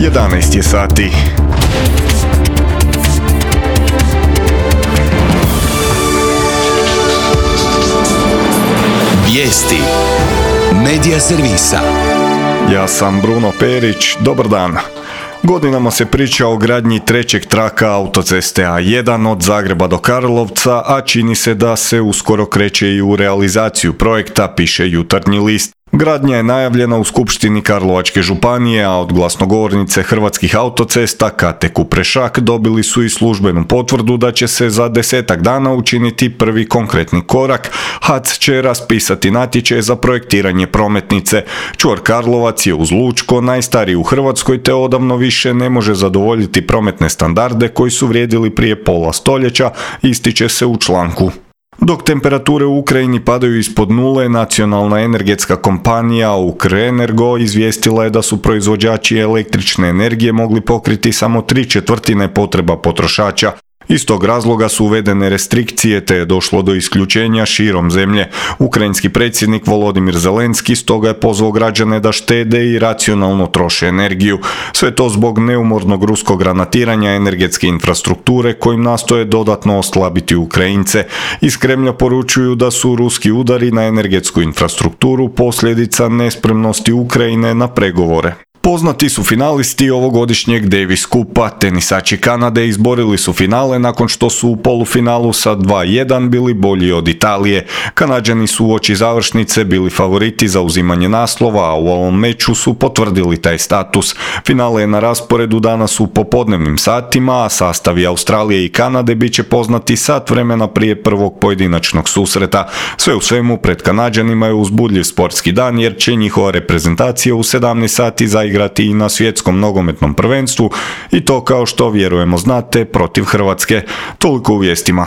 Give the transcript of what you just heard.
11 je sati. Vijesti Medija servisa. Ja sam Bruno Perić, dobar dan. Godinama se priča o gradnji trećeg traka autoceste A1 od Zagreba do Karlovca, a čini se da se uskoro kreće i u realizaciju projekta, piše Jutarnji list. Gradnja je najavljena u Skupštini Karlovačke županije, a od glasnogovornice Hrvatskih autocesta Kate Kuprešak dobili su i službenu potvrdu da će se za 10 dana učiniti prvi konkretni korak. HAC će raspisati natječaj za projektiranje prometnice. Čvor Karlovac je uz Lučko najstariji u Hrvatskoj te odavno više ne može zadovoljiti prometne standarde koji su vrijedili prije pola stoljeća, ističe se u članku. Dok temperature u Ukrajini padaju ispod nule, nacionalna energetska kompanija Ukrenergo izvijestila je da su proizvođači električne energije mogli pokriti samo 3/4 potreba potrošača. Iz tog razloga su uvedene restrikcije te je došlo do isključenja širom zemlje. Ukrajinski predsjednik Volodimir Zelenski stoga je pozvao građane da štede i racionalno troše energiju. Sve to zbog neumornog ruskog granatiranja energetske infrastrukture kojim nastoje dodatno oslabiti Ukrajince. Iz Kremlja poručuju da su ruski udari na energetsku infrastrukturu posljedica nespremnosti Ukrajine na pregovore. Poznati su finalisti ovogodišnjeg Davis Cupa. Tenisači Kanade izborili su finale nakon što su u polufinalu sa 2:1 bili bolji od Italije. Kanađani su uoči završnice bili favoriti za uzimanje naslova, a u ovom meču su potvrdili taj status. Finale je na rasporedu danas u popodnevnim satima, a sastavi Australije i Kanade bit će poznati sat vremena prije prvog pojedinačnog susreta. Sve u svemu, pred Kanađanima je uzbudljiv sportski dan jer će njihova reprezentacija u 17 sati zaigrati i na svjetskom nogometnom prvenstvu i to, kao što vjerujemo znate, protiv Hrvatske. Toliko u vijestima.